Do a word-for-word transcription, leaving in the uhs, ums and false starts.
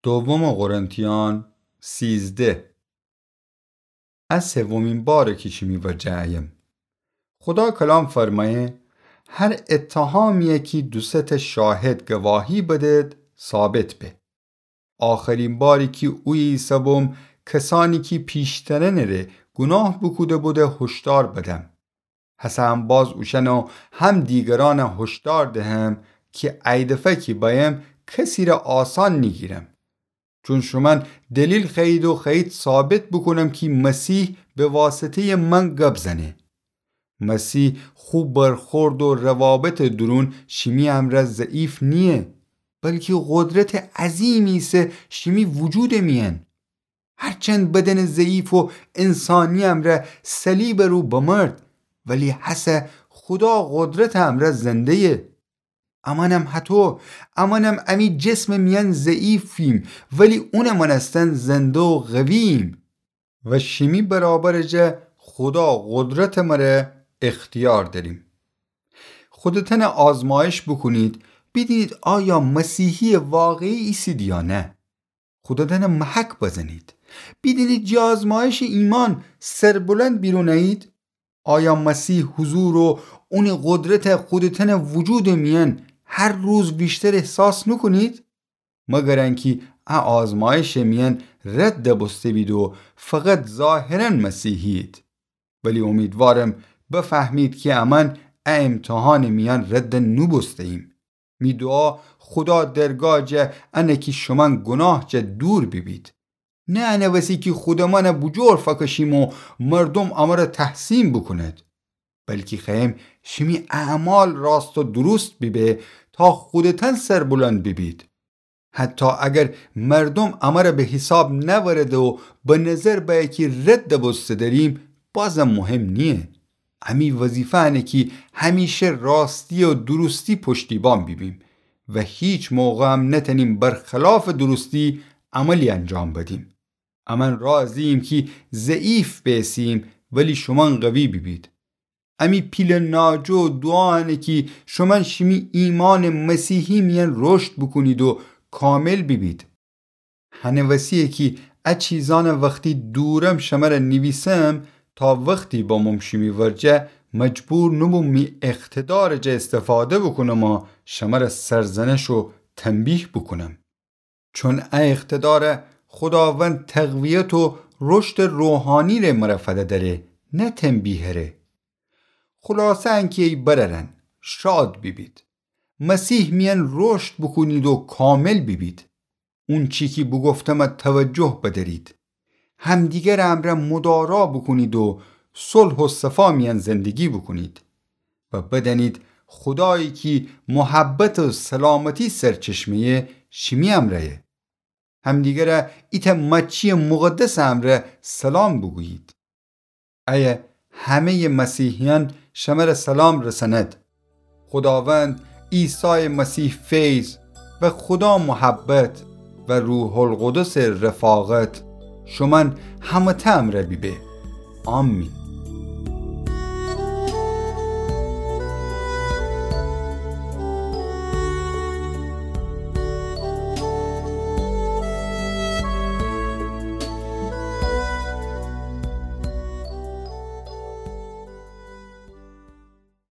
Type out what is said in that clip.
دوم قرنتیان سیزده. ا سومین باره کی شیمی ورجه ایم. خودا کلام فرمایه: هر اتهامیی کی دوسه ته شاهد گواهی بدد، ثابت به. آخرین باری کی اویه ایسه‌بوم، کسانی کی پیشترنٚ ره گوناه بوکوده بوده هشدار بدم. هسه هم باز اوشأن و هم دیگرأن هشدار دهم کی ای دفعه کی بأیم کسی ره آسان نیگیرم. چون شومأن دلیل خوأیید و خوأیید ثابت بوکونم کی مسیح به واسطه‌یٚ من گب زنه. مسیح خو برخورد و روابطٚ دورون شیمی امرأ ضعیف نییه، بلکی قدرتٚ عظیمی ایسه شیمی وجودٚ میأن. هرچند بدنٚ ضعیف و انسانی امرأ صلیبٚ رو بمرد، ولی هسه خودا قدرتٚ امرأ زنده‌یه. امأنم هطو، امأنم امی جسمٚ میأن ضعیفیم، ولی اونٚ مأنستن زنده و قوییم. و شیمی برابرٚ جا خودا قدرتٚ مره اختیار دأریم. خودتأن آزمایش بوکونید، بیدینید آیا مسیحیٚ واقعی ایسید یا نه. خودتأن محک بزنید، بیدینید جٚه آزمایشٚ ایمأن سربلند بیرون ایید. آیا مسیح حضور و اونٚ قدرت خودتأنٚ وجودٚ میأن هر روز ویشتر احساس نوکونید؟ مگر انکی ا آزمایشٚ میأن رد بوسته بید و فقط ظاهراً مسیحیید. ولی امیدوارم بفهمید کی امأن ا امتحانٚ میأن رد نوبوسته‌ییم. می دوعا خودا درگاه جا انه کی شومأن گوناه جا دور بیبید. نه انه وسی کی خودمأن بوجور فکشیم و مردوم امر تحسین بوکوند، بلکی خوأیم شیمی اعمال راست و دوروست بیبه تا خودتأن سربلند بیبید. حتی اگر مردوم امر به حیساب نأورده و به نظر بأیه کی رد بوسته دأریم، بازم مهم نییه. امی وظیفه انه کی همیشه راستی و دوروستی پشتیبان بیبیم و هیچ موقعم نتأنیم برخلافٚ دوروستی عملی انجام بدیم. امأن راضییم کی ضعیف بیسیم، ولی شومأن قوی بیبید. امی پیله ناجو و دوعا انه کی شومأن شیمی ایمانٚ مسیحی میأن رشد بوکونید و کامل بیبید. هنٚ وسییه کی ا چیزأن وختی دورم شمر نیویسم، تا وختی بموم شیمی ورجه، مجبور نوبوم می اقتدارٚ جا استفاده بوکونم و شمر سرزنش و تنبیه بوکونم. چون ا اقتدار خوداوند تقویت و رشدٚ روحانی‌ره مر فدأ دأره، نه تنبیه‌ره. خلاصه انکی ای برأرأن، شاد بیبید. مسیح میأن رشد بوکونید و کامل بیبید. اونچی کی بوگفتم توجه بدأرید. همدیگرٚ امرأ مدارا بوکونید و صلح و صفا میأن زندگی بوکونید و بدأنید خودایی کی محبت و سلامتی سرچشمه‌یه، شیمی امرأیه. همدیگرٚ ایتأ مأچییٚ مقدسٚ امرأ سلام بوگویید. ایه همه‌یٚ مسیحیأن شمر سلام رسند. خوداوند عیسایٚ مسیح فیض و خودا محبت و روح‌القدسٚ رفاقت شومأن همه‌تأ امرأ بیبه. آمین.